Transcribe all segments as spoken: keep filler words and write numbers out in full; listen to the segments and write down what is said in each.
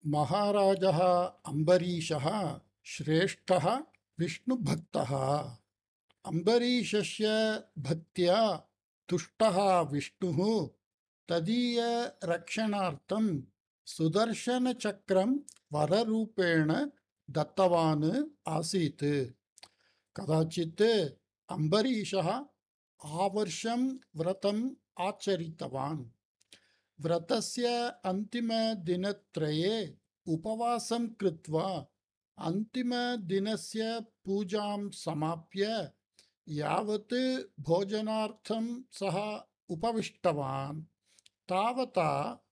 महाराजः अम्बरीशः श्रेष्ठः विष्णुभक्तः। अम्बरीशस्य भक्त्या तुष्टः विष्णुः तदीय रक्षणार्थं सुदर्शनचक्रं वररूपेण दत्तवान् आसीत्। कदाचित् अम्बरीशः आवर्षं व्रतम् आचरितवान्। व्रतस्य अन्तिमदिनत्रये उपवासं कृत्वा अन्तिमदिनस्य पूजां समाप्य यावत् भोजनार्थं सः उपविष्टवान् तावता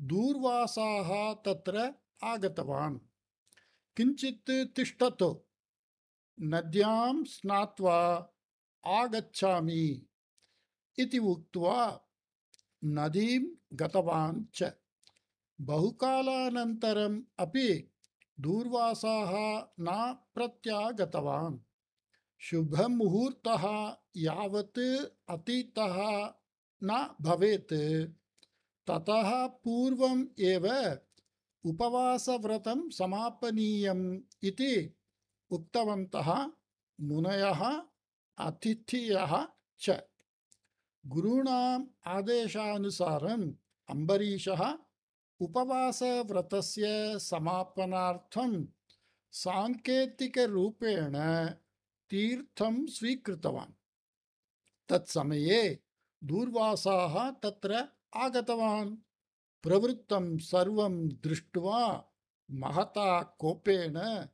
दूर्वासाः तत्र आगतवान्। किञ्चित् तिष्ठतु, नद्यां स्नात्वा आगच्छामि इति उक्त्वा नदीं गतवान् च। बहुकालानन्तरम् अपि दूर्वासाः न प्रत्यागतवान्। शुभमुहूर्तः यावत् अतीतः न भवेत् ततः पूर्वम् एव उपवासव्रतं समापनीयम् इति उक्तवन्तः मुनयः अतिथयः च। गुरूणाम् आदेशानुसारम् अम्बरीशः उपवासव्रतस्य समापनार्थं सांकेतिकरूपेण तीर्थं स्वीकृतवान्। तत्समये दूर्वासाः तत्र आगतवान्। प्रवृत्तं सर्वं दृष्ट्वा महता कोपेन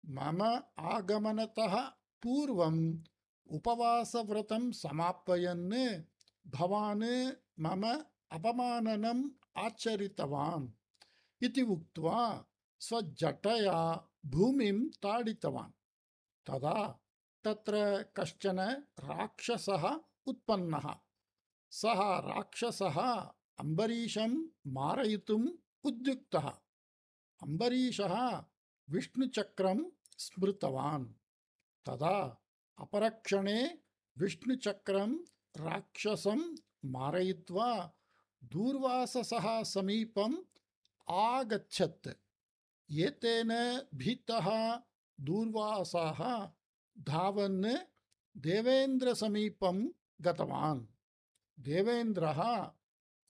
मम आगमनतः पूर्वम् उपवासव्रतं समापयन् भवान् मम अपमाननम् आचरितवान् इति उक्त्वा स्वजटया भूमिं ताडितवान्। तदा तत्र कश्चन राक्षसः उत्पन्नः। सः राक्षसः अम्बरीशं मारयितुम् उद्युक्तः। अम्बरीशः विष्णुचक्रं स्मृतवान्। तदा अपरक्षणे विष्णुचक्रं राक्षसं मारयित्वा दूर्वाससः समीपम् आगच्छत्। एतेन भीतः दूर्वासः धावन् देवेन्द्रसमीपं गतवान्। देवेन्द्रः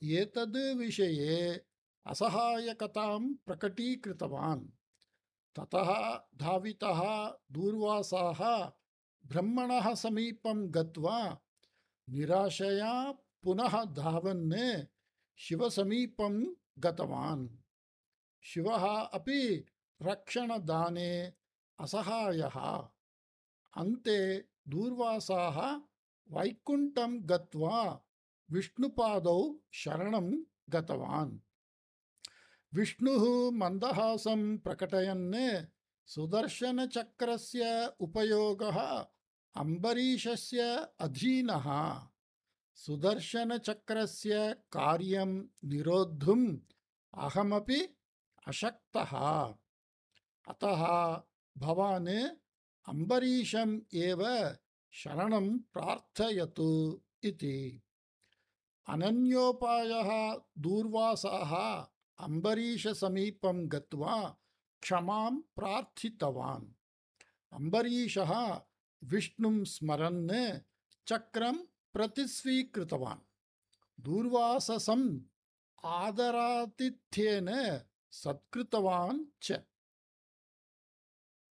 एतद् विषये असहायकतां प्रकटीकृतवान्। ततः धावितः दूर्वासाः ब्रह्मणः समीपं गत्वा निराशया पुनः धावन् शिवसमीपं गतवान्। शिवः अपि रक्षणदाने असहायः। अन्ते दूर्वासाः वैकुण्ठं गत्वा विष्णुपादौ शरणं गतवान्। विष्णुः मन्दहासं प्रकटयन् सुदर्शनचक्रस्य उपयोगः अम्बरीशस्य अधीनः। सुदर्शनचक्रस्य कार्यं निरोद्धुम् अहमपि अशक्तः। अतः भवान् अम्बरीशम् एव शरणं प्रार्थयतु इति। अनन्योपायः दूर्वासाः अम्बरीशसमीपं गत्वा क्षमां प्रार्थितवान्। अम्बरीशः विष्णुं स्मरन् चक्रं प्रतिस्वीकृतवान्। दूर्वाससम् आदरातिथ्येन सत्कृतवान् च।